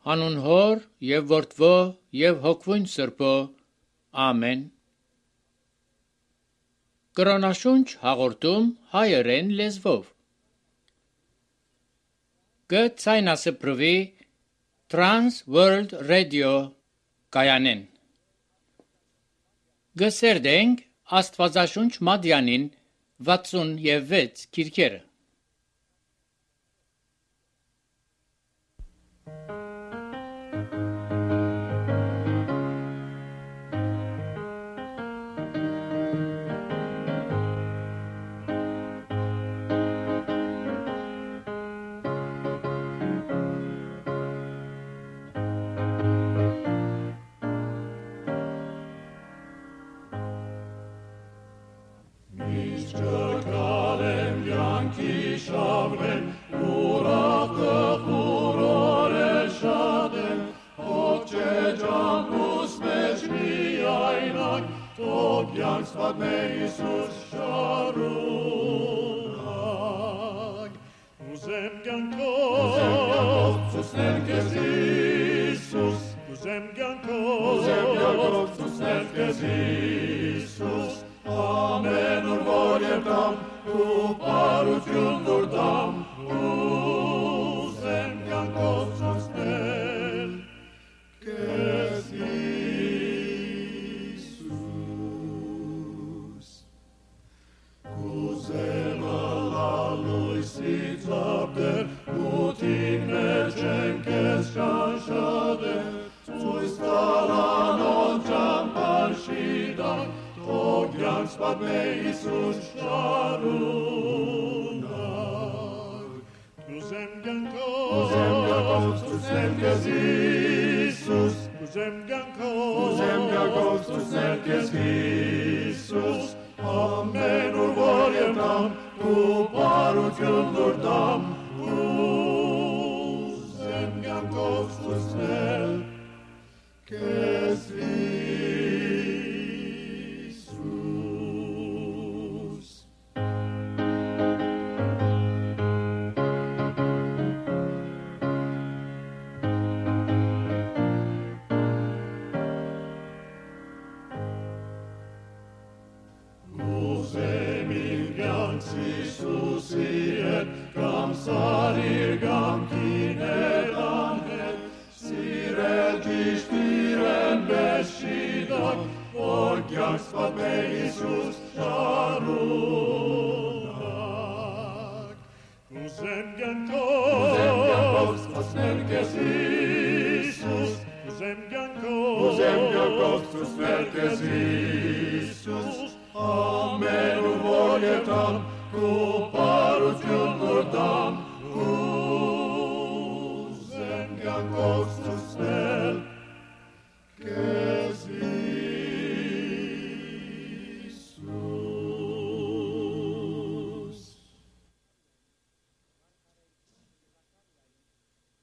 Հանուն Հոր եւ Որդվո եւ Հոգվույն Սրբո։ Ամեն։ Կրոնաշունչ հաղորդում հայերեն լեզվով։ Գցայնասպրվի Trans World Radio կայանեն։ Գսերդենք Աստվածաշունչ Մադյանին 66 քիրքերը։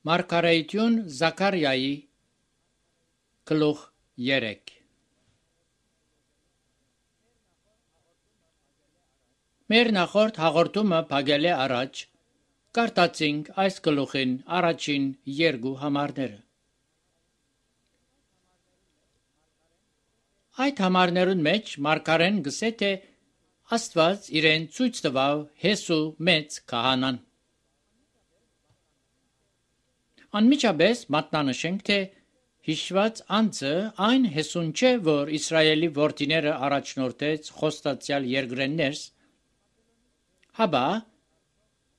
Մարգարեություն Զաքարիայի գլուխ 3։ Մեր նախորդ հաղորդումը փակել է առաջ, կարտացինք այս գլուխին առաջին երկու համարները։ Այդ համարներուն մեջ մարգարեն գսե թե Աստված իրեն ցույց տվավ Հեսու մեծ քահանան։ Անմիջապես մատնանշենք, թե հիշված անձը այն Հեսուն չէ, որ Իսրայելի որդիները առաջնորդեց խոստացյալ երկրեն ներս, հաբա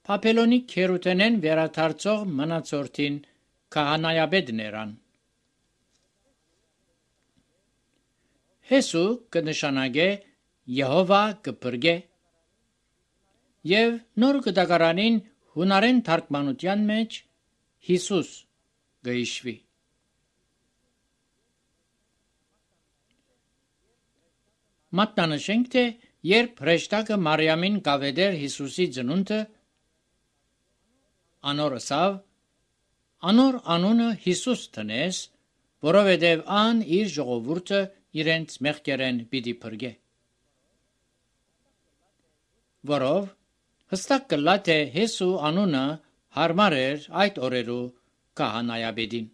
Բաբելոնի քերութենեն վերադարձող մնացորդին քահանայապետներան։ Հեսու կնշանակե Եհովա կփրկե, եւ նոր գդակարանին հունարեն թարգմանության մեջ Հիսուս գհիշվի։ Մատնանշենք, թե երբ հրեշտակը Մարիամին կավեդեր Հիսուսի ծնունդը, անոր ասավ, անոր անունը Հիսուս տնես, որովհետև ան իր ժողովուրդը իրենց մեղքերեն պիտի փրկե։ Որով հստակ կլա, թե Հեսու անունը հարմար էր այդ օրերու քահանայապետին։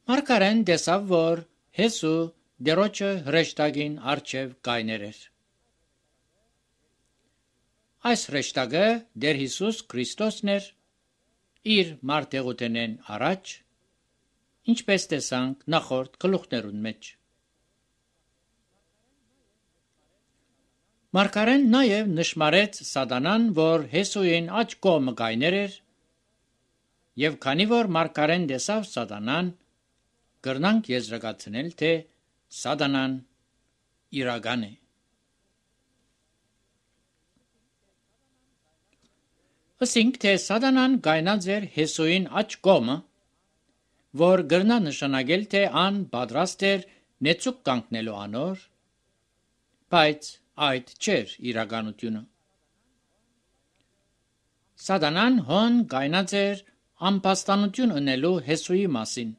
Մարգարեն տեսավ, որ Հեսու դերոջը հրեշտակին առջև կայներ էր։ Այս հրեշտակը Տեր Հիսուս Քրիստոսն էր իր մարտեղութենեն առաջ, ինչպես տեսանք նախորդ գլուխներուն մեջ։ Մարգարեն նաև նշմարեց Սատանան, որ Հեսուին աջ կողմը կայներ էր, եւ քանի որ Մարգարեն տեսավ Սատանան, կրնանք եզրակացնել, թե Սատանան իրական է։ Ասենք, թե Սատանան կայնած էր Հեսուին աջ կողմը, որ կրնա նշանակել, թե ան պատրաստ էր նեցուկ կանգնելու անոր, բայց այդ չէր իրականությունը։ Սատանան հոն կայնած էր ամպաստանություն ունելու Հեսուի մասին։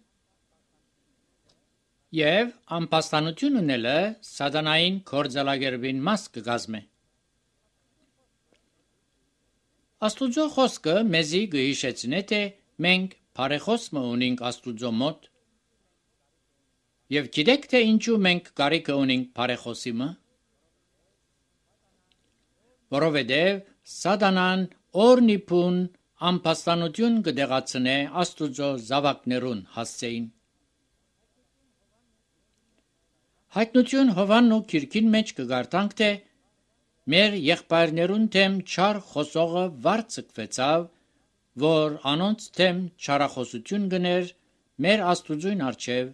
Եվ ամպաստանություն ունելը Սատանային գործելակերպին մաս կգազմե։ Աստուծո խոսքը մեզի կհիշեցնե, թե մենք բարեխոսը ունենք Աստուծո մոտ։ Եվ գիտեք, թե ինչու մենք կարիքը ունենք բարեխոսի մը։ Որովհետև Սատանան օրնիփուն ամպաստանություն կդեղացնե Աստուծո զավակներուն հասցեին։ Հայտնություն Հովաննու քիրքին մեջ կգարտանք, թե մեր եղբայրներուն թեմ չար խոսողը վարձկվեցավ, որ անոնց թեմ չարախոսություն գներ մեր Աստուծույն առջև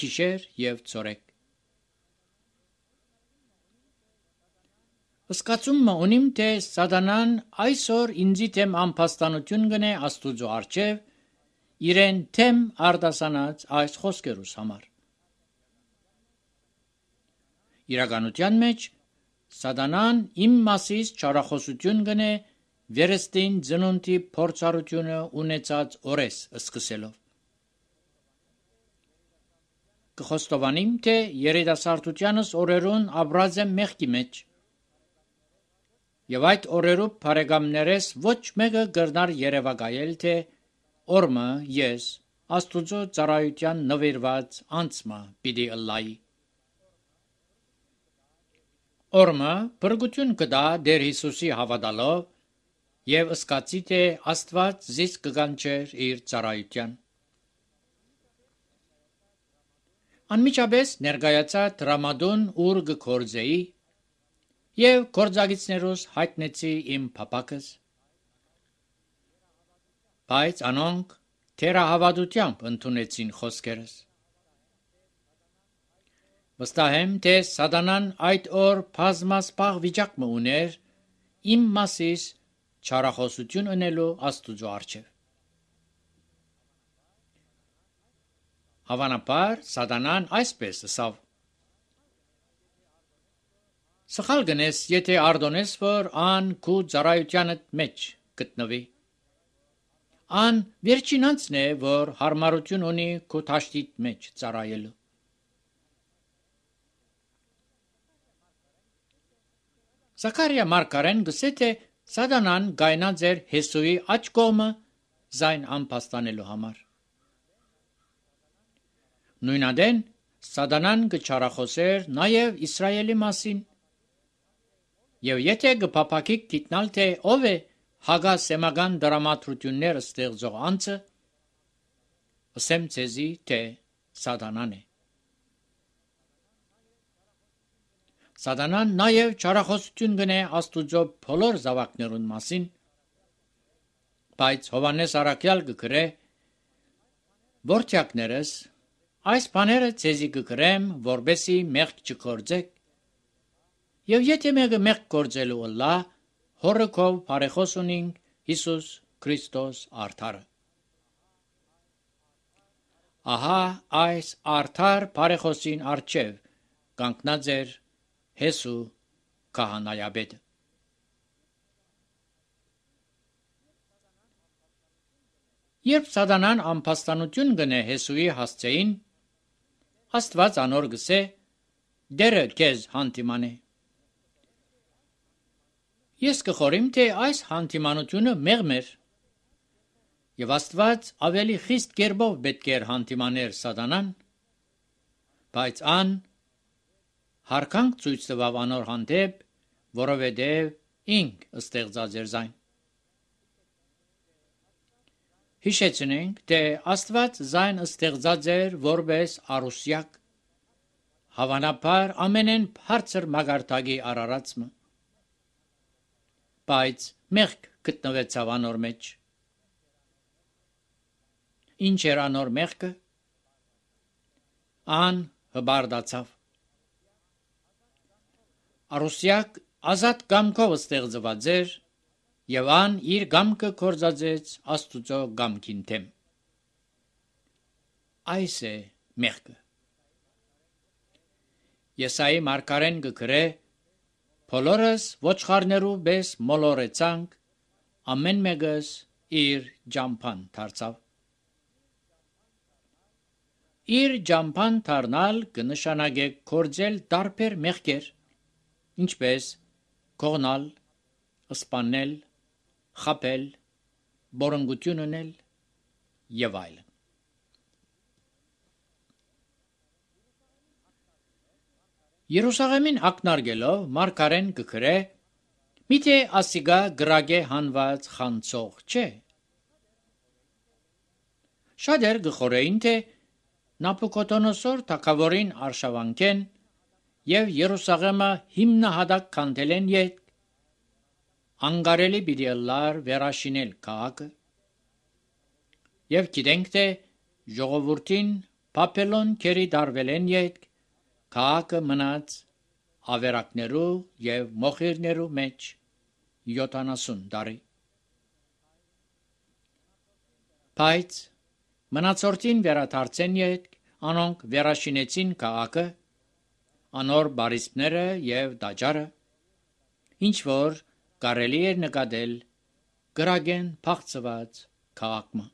գիշեր եւ ցորեկ։ Սկացումը ունիմ, թե Սատանան այսօր ինձի թեմ ամպաստանություն գնե Աստուծո առջև իրեն թեմ արտասանած այս խոսքերուս համար։ Իրականության մեջ Սատանան իմ մասից չարախոսություն գնե վերստին ծնունդի փորձառությունը ունեցած օրես սկսելով։ Կխոստովանիմ, թե երիտասարդությանս օրերուն ապրած եմ մեղքի մեջ, եւ այդ օրերու բարեկամներես ոչ մեկը կրնար երևակայել, թե օրմը ես Աստուծո ծառայության նվիրված անձմա պիտի ըլլայի։ Օրմը բրգություն կտա Տեր Հիսուսի հավատալով եւ ըսկացի, թե Աստված զիս կգանչեր իր ծառայության։ Անմիջապես ներկայացա դրամադուն ուր կգործեի եւ գործագիցներուս հայտնեցի իմ փապակս, բայց անոնք թերահավատությամբ ընդունեցին խոսքերս։ Վստահ եմ, թե Սատանան այդ օր բազմասպաղ վիճակ մը ուներ իմ մասիս չարախոսություն ունելու Աստուծո առջև։ Հավանաբար Սատանան այսպես ասավ. Սխալ գնես, եթե արդոնես, որ ան քու ծառայությանդ մեջ գտնվի։ Ան վերջին անձն է, որ հարմարություն ունի քու թաշտիտ մեջ ծառայելու։ Զաքարիա մարգարեն գսե, թե Սատանան գայնած էր Հեսուի աջ կողմը զայն ամպաստանելու համար։ Նույնադեն Սատանան կչարախոսեր նաև Իսրայելի մասին։ Եվ եթե կփափակիկ գիտնալ, թե ով է հագասեմական դրամատրություններ ստեղծող անձը, ասեմ ցեզի, թե Սատանան է։ Սատանան նաև չարախոսություն գնե Աստուծո բոլոր զավակներուն մասին, բայց Հովանես Առաքյալ կգրե. «Որդյակներս, այս բաները ցեզի կգրեմ, որբեսի մեղք չգործեք, եւ եթե մեկը մեղք գործելու ըլլա, հորրքով բարեխոս ունինք Հիսուս Քրիստոս արդարը»։ Ահա այս արդար բարեխոսին առջև կանգնած էր Հեսու քահանայապետը։ Երբ Սատանան ամպաստանություն գնե Հեսուի հասցեին, Աստված անոր գսե. «Դերը քեզ հանդիմանե»։ Ես կխորիմ, թե այս հանդիմանությունը մեղմ էր, Եվ Աստված ավելի խիստ կերպով պետք էր հանդիմաներ Սատանան, բայց ան հարկանք ցույց տվավ անոր հանդեպ, որովհետև ինք ստեղծած էր զայն։ Հիշեցնենք, թե Աստված զայն ստեղծած էր որպես արուսյակ, հավանաբար ամենեն բարձր մագարտակի արարածը, բայց մեղք գտնվեցավ անոր մեջ։ Ինչ էր անոր մեղքը։ Ան հբարդացավ։ Արուսյակ ազատ կամքով ստեղծված էր եւ ան իր կամքը կործածեց Աստուծո կամքին դեմ։ Այս է մեղքը։ Եսայի մարգարեն գկրե. «Բոլորս ոչխարներու պես մոլորեցանք, ամեն մեկս իր ջամփան դարձավ»։ Իր ջամփան դառնալ կնշանակե կործել տարբեր մեղքեր, ինչպես կողնալ, սպանել, խաբել, բորոնգություն ունել եւ այլն։ Երուսաղեմին ակնարկելով մարգարեն կգրե. «Միթե ասիգա գրագե հանված խանցող չէ»։ Շատեր գխորեին, թե Նաբուկոդոնոսոր թագավորին արշավանքեն եւ Երուսաղեմը հիմնահատակ քանդելեն յետ անկարելի պիտի լար վերաշինել քաղաքը եւ գիտենք, թե ժողովրդին Բաբելոն քերի դարվելեն յետ քաղաքը մնաց ավերակներու եւ մոխիրներու մեջ 70 տարի։ Բայց մնացորդին վերադարձեն յետ անոնք վերաշինեցին քաղաքը, անոր բարիսպները եւ տաճարը, ինչ որ կարելի էր նկատել գրագեն փախցված քաղաքում։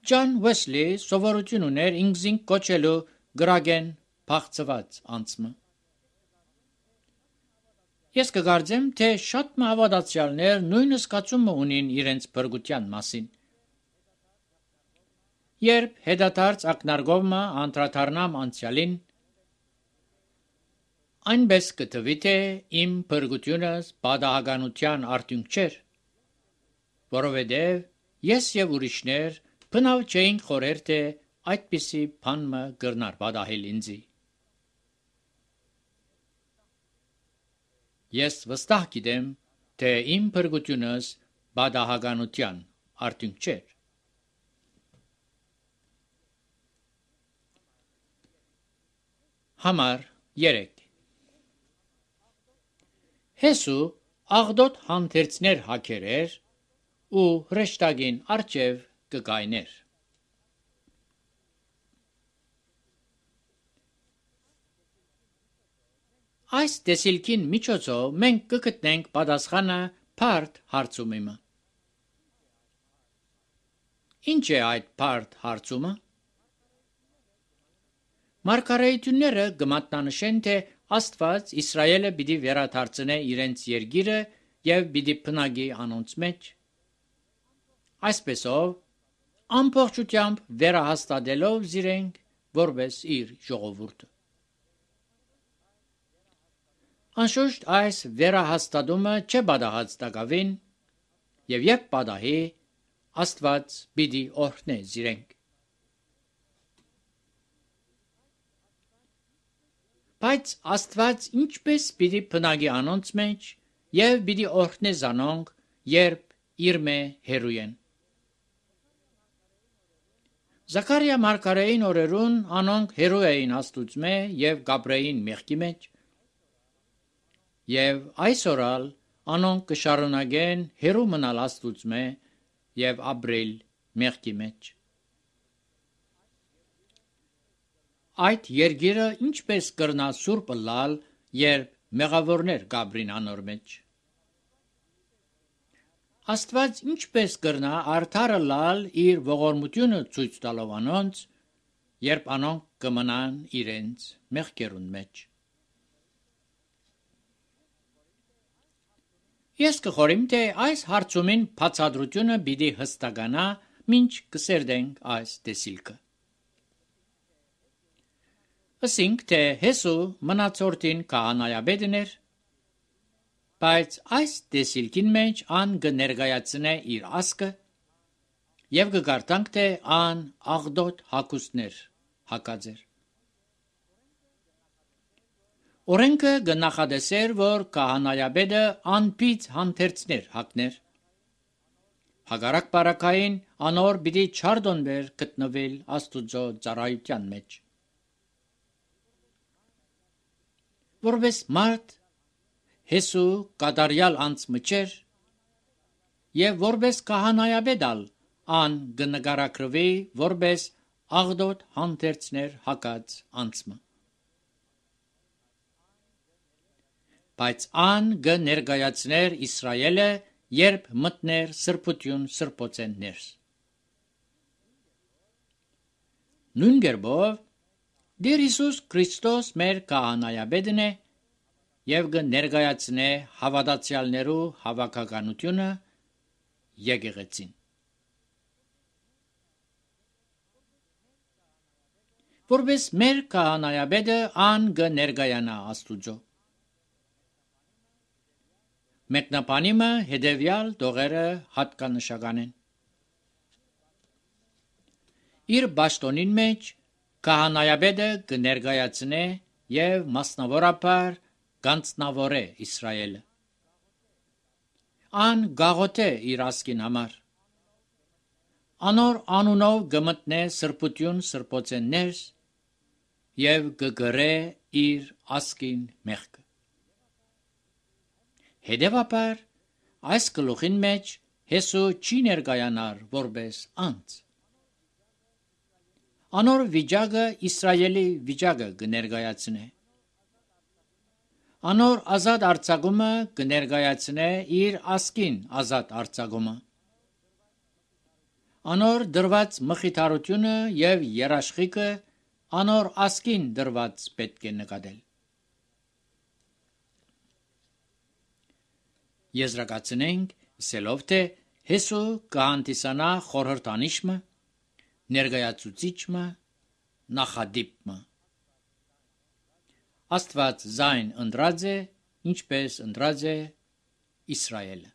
Ջոն Ուեսլի սովորություն ուներ ինքզին կոչելու գրագեն փախցված անցումը։ Ես կգարձեմ, թե շատ հավատացյալներ նույն զգացումը ունին իրենց փրկության մասին։ Երբ հետադարձ ակնարկովը անդրադառնամ անցյալին, այնպես կթվի, թե իմ փրկությունս պատահականության արդյունք չէր, որովհետև ես եւ ուրիշներ բնավ չէինք խորեր, թե այդպիսի բանը կրնար պատահել ինձի։ Ես վստահ գիտեմ, թե իմ փրկությունս պատահականության արդյունք չէր։ Համար 3 Հեսու աղդոտ հանդերձներ հակերեր ու հրեշտակին արջև կգայներ։ Այս տեսիլքին միջոցով մենք կգտնենք պատասխանը բարդ հարցումիմը։ Ինչ է այդ բարդ հարցումը։ Մարգարեությունները կմատնանշեն, թե Աստված Իսրայելը պիտի վերադարձնե իրենց երկիրը եւ պիտի բնակի անոնց մեջ։ Այսպեսով ամբողջությամբ վերահաստատելով զիրենք որպես իր ժողովուրդը։ Անշուշտ այս վերահաստատումը չէ պատահած տակավին եւ երբ պատահի Աստված պիտի օրհնե զիրենք։ Բայց Աստված ինչպես պիտի բնակի անոնց մեջ եւ պիտի օրհնե զանոնք, երբ իրմե հերույեն։ Զաքարիա մարգարեին օրերուն անոնք հերու էին Աստուծմե եւ գաբրեին մեղքի մեջ։ Եվ այսօրալ անոնք կշարունակեն հերու մնալ Աստուծմե եւ ապրել մեղքի մեջ։ Այդ երկիրը ինչպես կրնա սուրբ լալ, երբ մեղավորներ գաբրին անոր մեջ։ Աստված ինչպես կրնա արդարը լալ իր ողորմությունը ցույց տալով անոնց, երբ անոնք կմնան իրենց մեղքերուն մեջ։ Ես կխորիմ, թե այս հարցումին բացատրությունը պիտի հստականա, մինչ կսերդենք այս տեսիլքը։ Ասինք, թե Հեսու մնացորդին քահանայապետն էր, բայց այս տեսիլքին մեջ ան կներկայացնե իր ասկը եւ կգարտանք, թե ան աղդոտ հակուստներ հակած էր։ Օրենքը կնախադեսեր, որ քահանայապետը անպիծ հանդերձներ հակներ։ Հակառակ բարակային անոր պիտի չարդոնվեր գտնվել Աստուծո ծառայության մեջ։ Որպես մարդ Հեսու կատարյալ անձը չէր եւ որպես քահանայապետալ ան կնկարագրվի որպես աղդոտ հանդերձներ հակած անձը։ Բայց ան կներկայացներ Իսրայելը, երբ մտներ սրբություն սրբոցեն ներս։ Նույն կերպով Տեր Հիսուս Քրիստոս մեր քահանայապետն է եւ կներկայացնե հավատացյալներու հավաքականությունը եկեղեցին։ Որպես մեր քահանայապետը ան կներկայանա Աստուծո։ Մեկնաբանիմը հետևյալ տողերը հատկանշական են։ Իր պաշտոնին մեջ քահանայապետը կներկայացնե եւ մասնավորապես կանցնավորե Իսրայելը։ Ան գաղութե իր ասկին համար։ Անոր անունով կմտնե սրբություն սրբոցեն ներս եւ կգրե իր ասկին մեղքը։ Հետևաբար այս գլուխին մեջ Հեսու չի ներկայանար որպես անձ։ Անոր վիճակը Իսրայելի վիճակը կներկայացնե։ Անոր ազատ արձակումը կներկայացնե իր ասկին ազատ արձակումը։ Անոր դրված մխիթարությունը եւ երաշխիքը անոր ասկին դրված պետք է նկատել։ Եզրակացնենք սելով, թե Հեսու կհանդիսանա խորհրդանիշը, ներկայացուցիչը, նախադիպը։ Աստված զայն ընտրած է, ինչպես ընտրած է Իսրայելը։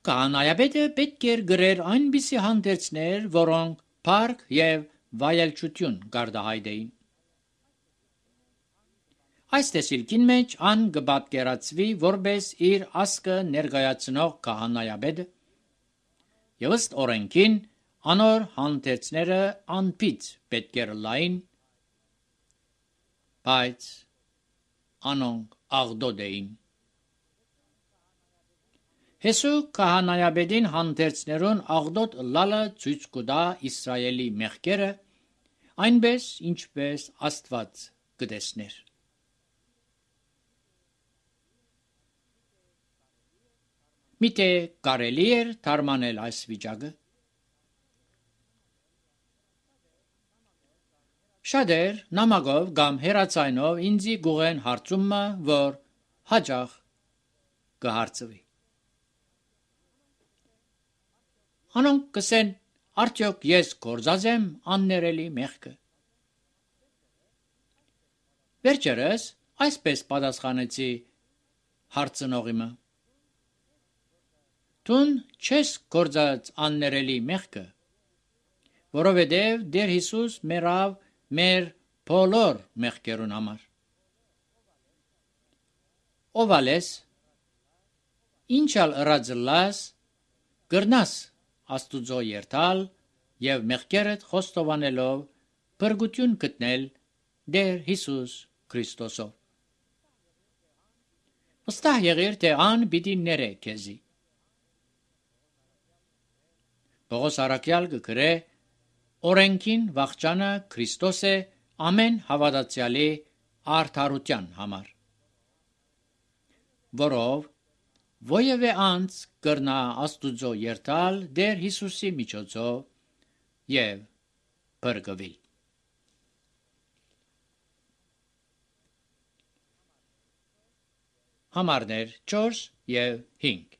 Քահանայապետը պետք է գրեր այնպիսի հանդերձներ, որոնք փառք եւ վայելչություն գարդահայտեին։ Այս տեսիլքին մեջ ան կպատկերացվի որպես իր ասկը ներկայացնող քահանայապետը եւ ըստ օրենքին անոր հանդերձները անպիծ պետք է լային, բայց անոնք աղդոտ էին։ Հեսու քահանայապետին հանդերձներուն աղդոտ լալը ցույց կտա Իսրայելի մեղքերը, այնպես ինչպես Աստված կտեսներ։ Միթե կարելի էր թարմանել այս վիճակը։ Շատեր նամակով կամ հեռացայնով ինձի գուղեն հարցումը, որ հաջող կհարցվի։ Անոնք կսեն, արդյոք ես գործած եմ աններելի մեղքը։ Վերջերս այսպես պատասխանեցի հարցնողիմը. Տուն չես գործած աններելի մեղքը, որովհետև Տեր Հիսուս մեռավ մեր բոլոր մեղքերուն համար։ Ովալես, ինչալ ըրածլաս, գրնաս Աստուծո երթալ եւ մեղքերդ խոստովանելով փրկություն գտնել Տեր Հիսուս Քրիստոսով։ Վստահ եղիր, թե ան պիտի ներե քեզի։ Պողոս առաքյալ կգրե օրենքին վախճանը Քրիստոս է ամեն հավատացյալի արդարության համար, որով ովևէ անձ կրնա Աստուծո երթալ Տեր Հիսուսի միջոցով եւ փրկվել։ Համարներ 4 և 5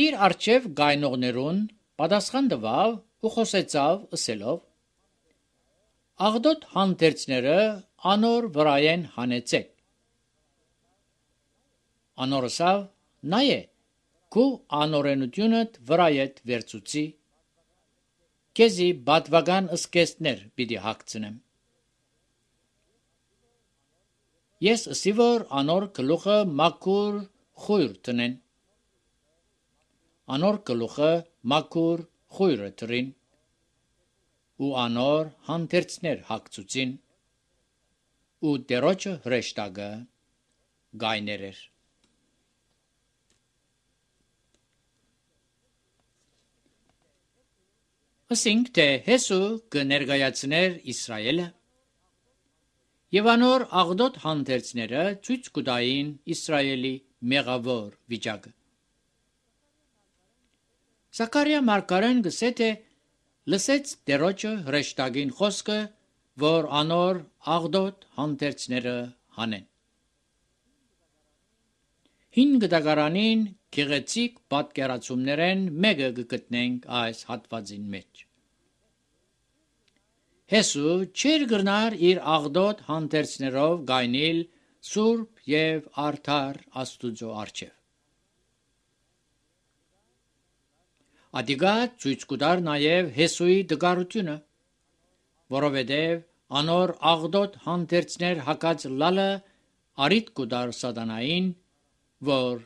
Իր արջև գայնողներուն պատասխան տվավ ու խոսեցավ ըսելով. Աղդոտ հանդերձները անոր վրայեն հանեցեք։ Անոր ասավ. նայե, քու անօրենությունդ վրայեդ վերցուցի, քեզի բատվական ըսկեստներ պիտի հագցնեմ։ Ես ըսի որ անոր գլուխը մաքուր խույր տնեն։ Անոր գլուխը մաքուր խույրը թրին, ու անոր հանդերձներ հագցուցին, ու տերոջը հրեշտակը գայներ էր։ Ասինք, թե Հեսու կներկայացներ Իսրայելը, և անոր աղդոտ հանդերձները ցույց կտային Իսրայելի մեղավոր վիճակը։ Զաքարիա մարգարեն գսե թե լսեց տերոջը հրեշտակին խոսքը, որ անոր աղդոտ հանդերձները հանեն։ Հին գտակարանին գեղեցիկ պատկերացումներեն մեկը կգտնենք այս հատվածին մեջ։ Հեսու չէր գրնար իր աղդոտ հանդերձներով գայնիլ սուրբ և արդար Աստուծո առջև։ Ադիգա ցույց կտար նաև Հեսուի դգարությունը, որովհետև անոր աղդոտ հանդերձներ հակած լալը արիտ կտար սատանային, որ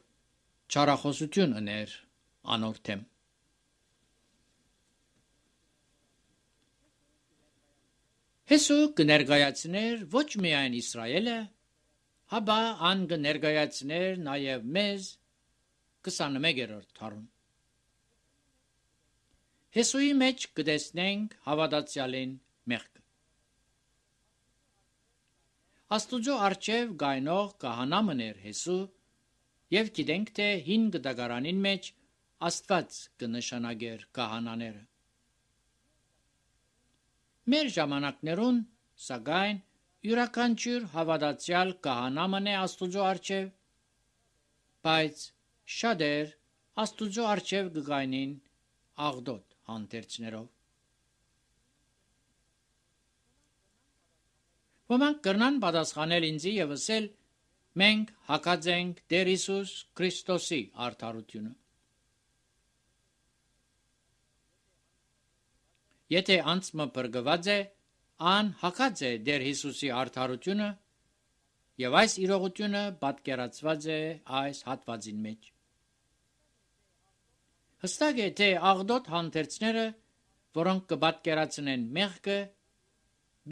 չարախոսություն ուներ անոր դեմ։ Հեսու կներկայացներ ոչ միայն Իսրայելը, հապա ան կներկայացներ նաև մեզ 21-րդ դարում։ Հեսուի մեջ կտեսնենք հավատացյալին մեղքը։ Աստուծո առջև գայնող քահանա մներ Հեսու, և գիտենք, թե հին գտակարանին մեջ Աստված կնշանակեր քահանաները։ Մեր ժամանակներուն, սակայն, յուրաքանչյուր հավատացյալ քահանա մնե Աստուծո առջև, բայց շատեր Աստուծո առջև կգայնին աղդոտ հանդերձներով։ Ոմանք կրնան պատասխանել ինձի և ասել. մենք հակած ենք Տեր Հիսուս Քրիստոսի արդարությունը։ Եթե անցմը բրգված է, ան հակած է Տեր Հիսուսի արդարությունը, և այս իրողությունը պատկերացված է այս հատվածին մեջ։ Հստակ է, թե աղդոտ հանդերձները, որոնք կպատկերացնեն մեղքը,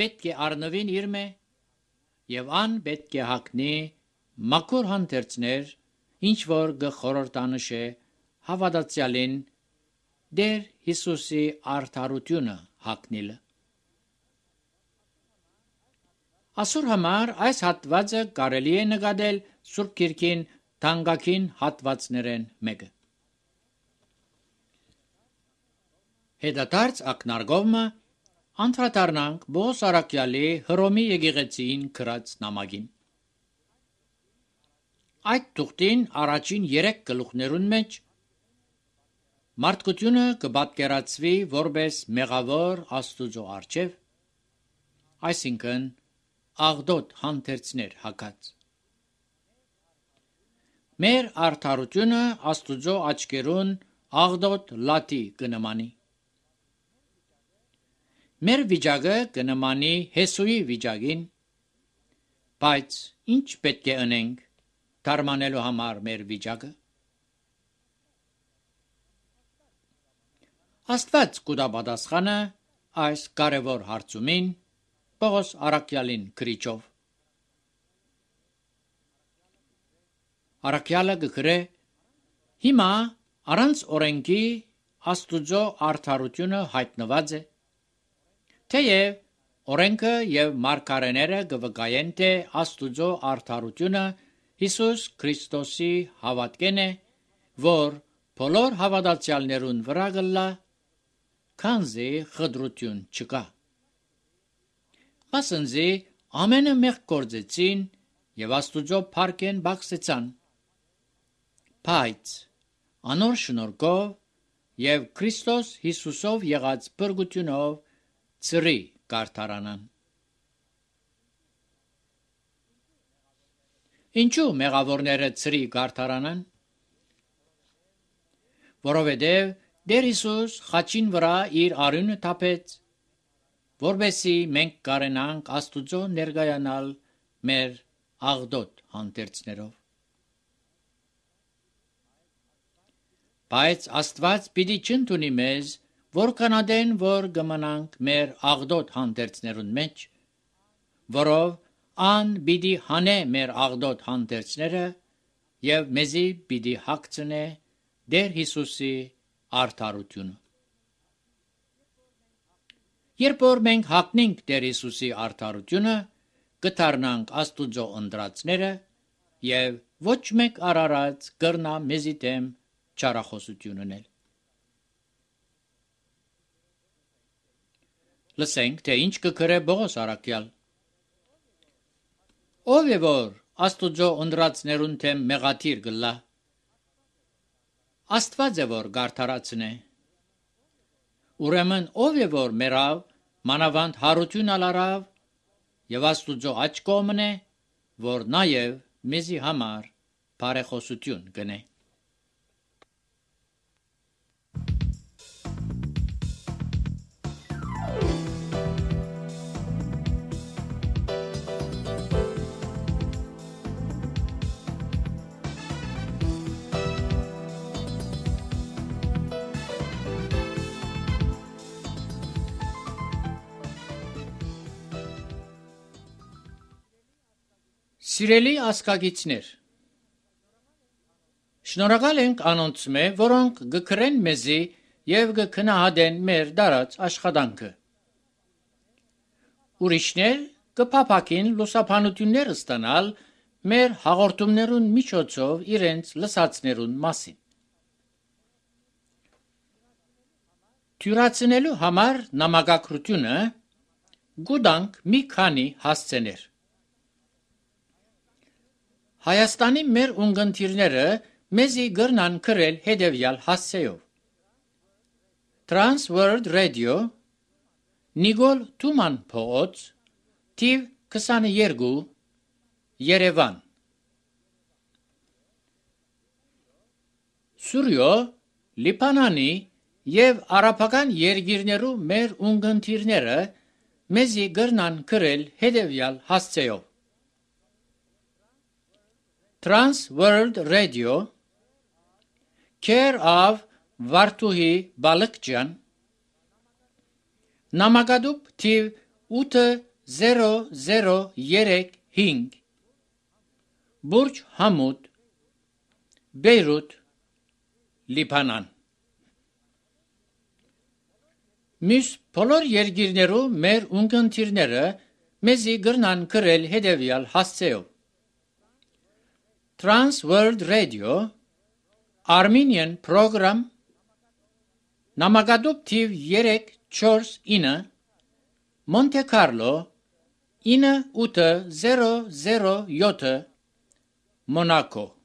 պետք է առնվին իրմե, և ան պետք է հագնի մաքուր հանդերձներ, ինչ որ կխորհրդանշե հավատացյալին Տեր Հիսուսի արդարությունը հագնիլը։ Ասուր համար այս հատվածը կարելի է նկատել Սուրբ Գիրքին թանկագին հատվածներեն մեկը։ Հետադարձ ակնարկովը անդրադառնանք Պողոս առաքյալի Հռոմի եկեղեցիին գրած նամակին։ Այդ թուղթին առաջին 3 գլուխներուն մեջ մարդկությունը կպատկերացվի որպես մեղավոր Աստուծո առջև, այսինքն աղդոտ հանդերձներ հագած։ Մեր արդարությունը Աստուծո աչքերուն աղդոտ լաթի կնմանի։ Մեր վիճակը կնմանի Հեսուի վիճակին, բայց ինչ պետք է անենք թարմանելու համար մեր վիճակը։ Աստված կուտա պատասխանը այս կարևոր հարցումին Պողոս առաքյալին գրիչով։ Առաքյալը կգրե. հիմա առանց օրենքի Աստուծո արդարությունը հայտնված է, թեև օրենքը և մարգարեները կվկայեն, թե Աստուծո արդարությունը Հիսուս Քրիստոսի հավատքեն է, որ բոլոր հավատացյալներուն վրա կլա, քանզի խտրություն չկա։ Մասնզի ամենը մեղք գործեցին եւ Աստուծո փառքեն բացեցան։ Բայց անոր շնորհքով եւ Քրիստոս Հիսուսով եղած բրգությունով ծրի կարդարանան։ Ինչու մեղավորները ծրի կարդարանան։ Որովհետև Տեր Հիսուս խաչին վրա իր արյունը թափեց, որովհետեւ մենք կարենանք Աստուծո ներկայանալ մեր աղդոտ հանդերձներով։ Բայց Աստված պիտի չընդունի մեզ, որքանադեն որ կմնանք մեր աղդոտ հանդերձներուն մեջ, որով ան պիտի հանե մեր աղդոտ հանդերձները եւ մեզի պիտի հագցնե Տեր Հիսուսի արդարությունը։ Երբ որ մենք հագնենք Տեր Հիսուսի արդարությունը, կդառնանք Աստուծո ընտրածները եւ ոչ մեկ արարած կրնա մեզի դեմ չարախոսություն ունել։ Լսենք, թե ինչ կգրե Պողոս առաքյալ։ Ով է որ Աստուծո ընտրածներուն դեմ մեղադիր գլա։ Աստված է որ գարթարացնե։ Ուրեմն ով է որ մերավ մանավանդ հարություն ալարավ եւ Աստուծո աջ կողմն է, որ նաեւ մեզի համար բարեխոսություն գնե։ Սիրելի ասկագիցներ, շնորհակալ ենք անոնց մե, որոնք գկրեն մեզի եւ գքնահատեն մեր դարած աշխատանքը։ Ուրիշներ կփափակին լուսաբանություններ ստանալ մեր հաղորդումներուն միջոցով իրենց լսածներուն մասին։ Թյուրացնելու համար նամակագրությունը գուտանք մի քանի հասցեներ։ Հայաստանի մեր ունգընտիրները մեզի գրնան գրել հետևյալ հասցեով։ Trans World Radio, Նիկոլ Թուման փողոց, թիվ 22, Երևան։ Սուրյո, Լիբանանի եւ արաբական երկիրներու մեր ունգընտիրները մեզի գրնան գրել հետևյալ հասցեով։ Trans World Radio, Care of Վարդուհի Բալկջյան, նամակադուպ թիվ 8035, Բուրջ Համուդ, Բեյրութ, Լիբանան։ Մյուս բոլոր երկիրներու մեր ունգընտիրները մեզի գրնան գրել հետևյալ հասցեով։ Trans World Radio, Armenian Program, նամակադուպ թիվ 349, Monte Carlo, 9807, Monaco։